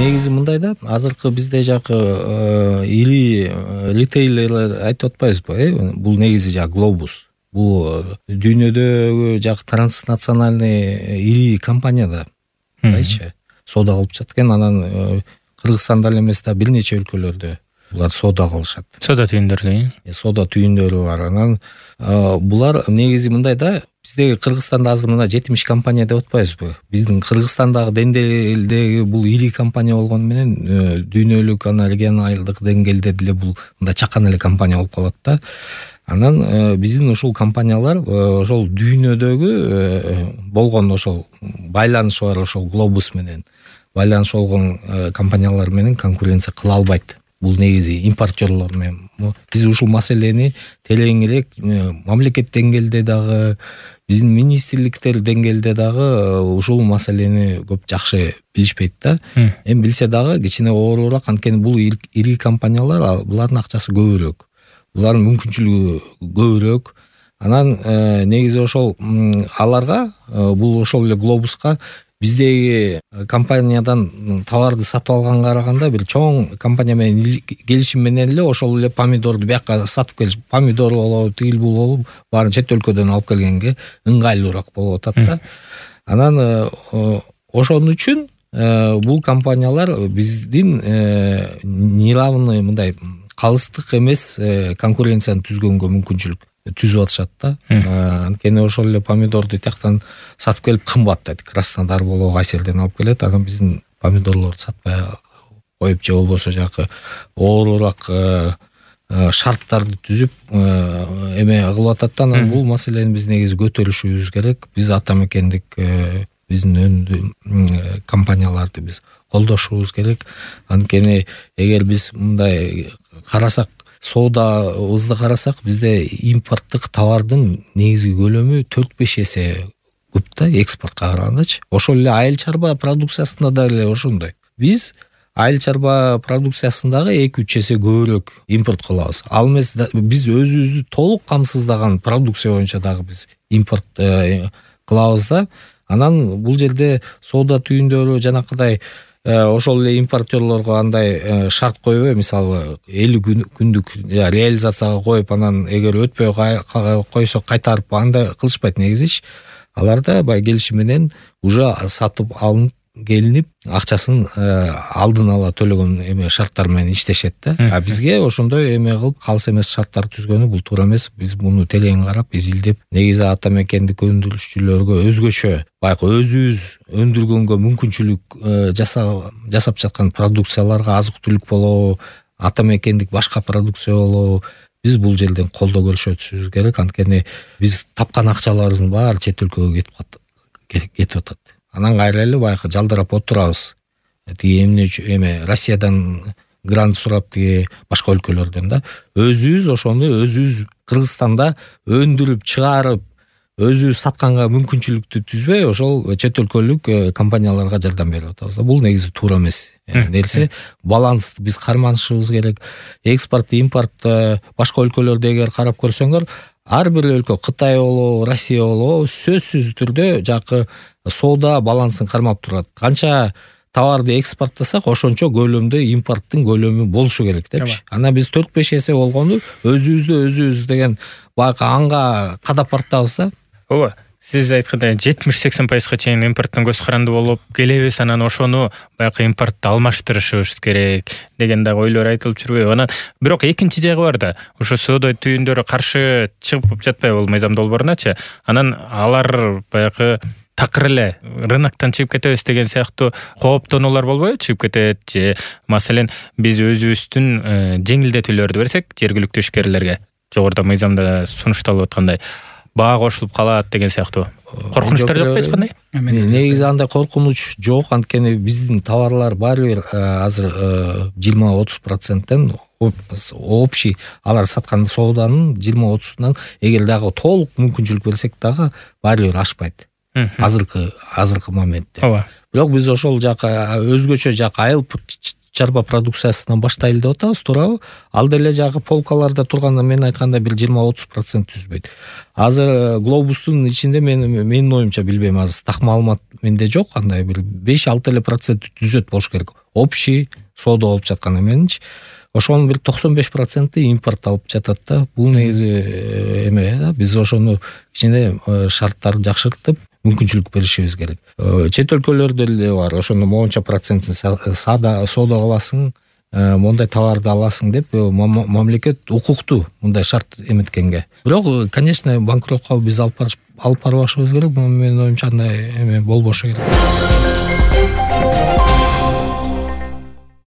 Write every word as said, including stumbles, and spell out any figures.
негизи мындай да, азыркы бизде жакы ири ритейлерлер айтып атпайбызбы, э? Бул негизи жак глобус. Бул дүйнөдөгү жак транснациональный ири компания да. Дайчы. Соода кылып жаткан, анан Кыргызстанда эле эмес да, бир нече өлкөлөрдө булар соода кылышат. Соода түйүндөрү, соода түйүндөрү бар. Анан булар негизи мындай да, биздеги Кыргызстанда азыр мына жетимиш компания деп атпайбызбы? Биздин Кыргызстандагы деңгээлдеги бул ири компания болгону менен дүйнөлүк, ана регионалдык деңгээлде деле бул мындай чакан эле компания болуп калат да. Анан биздин ушул компаниялар ошол дүйнөдөгү болгон ошол байланышы бар ошол глобус менен байланышы болгон компаниялар менен конкуренция кыла албайт. Бул негизи импортерлор менен. Биз ушул маселени тереңирээк мамлекет деңгээлде дагы, биздин министрликтер деңгээлде дагы ушул маселени көп жакшы билишпейт да. Эми билсе дагы кичине оорураак, анткени бул ири компаниялар, булардын акчасы көбүрөөк. Булардын мүмкүнчүлүгү көбүрөөк. Анан негизи ошол аларга бул ошол эле глобуска биздеги компаниядан товарды сатып алганга караганда бир чоң компания менен келишим менен эле ошол эле помидорду бияка сатып келиш, помидор болобу, тигил бул болуп, баарын чет өлкөдөн алып келгенге ыңгайлуураак болуп атат да. Анан ошон үчүн бул компаниялар биздин неравный мындай калыстык эмес конкуренцияны түзгөнгө мүмкүнчүлүк түзүп атышат да. Анткени ошол эле помидорду тияктан сатып келип кымбат да, Краснодар болобу, Кайсерден алып келет. Анан биздин помидорлорду сатпай коюп же болбосо жакы оорураак шарттарды түзүп эме кылып атат да. Анан бул маселени биз негизи көтөрүшүбүз керек. Биз ата мекендик биздин өндү компанияларды биз колдошубуз керек. Анткени эгер биз мындай карасак, соодабызды карасак, бизде импорттук товардын негизги көлөмү төрт беш эсе көп да экспортко карагандачы. Ошол эле айыл чарба продукциясында да эле ошондой. Биз айыл чарба продукциясындагы эки үч эсе көбүрөөк импорт кылабыз. Ал эмес, биз өзүбүздү толук камсыздаган продукция боюнча дагы биз импорт кылабыз да. Анан бул жерде соода түйүндөрү жанакыдай ошол эле импортерлорго андай шарт коюп, мисалы элүү күндүк реализацияга коюп, анан эгер өтпөй койсо кайтарып, андай кылышпайт негизичи. Аларда бай келишим менен уже сатып алынып келинип, акчасын алдын ала төлөгөн эме шарттар менен иштешет да. А бизге ошондой эме кылып калыс эмес шарттар түзгөнү бул туура эмес. Биз муну терең карап, изилдеп, негизи ата мекендик өндүрүшчүлөргө өзгөчө байкы өзүбүз өндүргөнгө мүмкүнчүлүк жасап жасап жаткан продукцияларга, азык түлүк болобу, ата мекендик башка продукция болобу, биз бул жерден колдоо көрсөтүшүбүз керек. Анткени биз тапкан акчаларыбыздын баары чет өлкөгө кетип кетип атат. Анан кайра эле байкы жалдырап отурабыз. Тиги эмне үчүн эме Россиядан грант сурап, тиги башка өлкөлөрдөн да. Өзүбүз ошону өзүбүз Кыргызстанда өндүрүп чыгарып, өзүбүз сатканга мүмкүнчүлүктү түзбөй, ошол чет өлкөлүк компанияларга жардам берип атабыз да. Бул негизи туура эмес нерсе. Балансты биз карманышыбыз керек. Экспорт, импорт башка өлкөлөрдө эгер карап көрсөңөр, ар бир өлкө, Кытай болобу, Россия болобу, сөзсүз түрдө жакы соода балансын кармап турат. Канча товарды экспорттасак, ошончо көлөмдө импорттун көлөмү болушу керек депчи. Ана биз төрт беш эсе болгону өзүбүздү өзүбүз деген байкы анга кадап бартабыз да. Ооба. Сиз айткандай жетимиш сексен пайызга чейин импорттон көз каранды болуп келебиз, анан ошону байкы импортто алмаштырышыбыз керек деген дагы ойлор айтылып жүрбөйбү? Анан бирок экинчи жагы бар да. Ошо соода түйүндөрү каршы чыгып жатпайбы бул мыйзам долбооруначы? Анан алар байкы такыр эле рыноктон чыгып кетебиз деген сыяктуу кооптонуулар болбойбу? Чыгып кетет же маселен биз өзүбүздүн жеңилдетүүлөрдү берсек жергиликтүү ишкерлерге, жогоруда мыйзамда сунушталып аткандай баа кошулуп калат деген сыяктуу коркунучтар жок кандай? Негизи андай коркунуч жок, анткени биздин товарлар баары бир азыр жыйырма отуз проценттен общий алар саткан сооданын жыйырма отузунан эгер дагы толук мүмкүнчүлүк берсек дагы баары бир ашпайт. Азыркы азыркы моментте. Бирок биз ошол жака өзгөчө жака айыл чарба продукциясынан баштайлы деп атабыз, туурабы? Ал деле жагы полкаларда турганда мен айткандай бир жыйырма отуз процент түзбөйт. Азыр глобустун ичинде мен менин оюмча, билбейм, азыр так маалымат менде жок, андай бир беш алты эле процент түзөт болуш керек. Общий соода болуп жатканы менинчи. Ошонун бир токсон беш проценти импорт алып жатат да. Бул негизи эме да, биз ошону кичине шарттарды жакшыртып мүмкүнчүлүк беришибиз керек. Чет өлкөлөрдө эле бар, ошондо моунча процентин саада соода кыласың, мондай товарды аласың деп мамлекет укуктуу мындай шарт эметкенге. Бирок, конечно, банкротко биз алып барып алып барбашыбыз керек. Менин оюмча андай эме болбошу керек.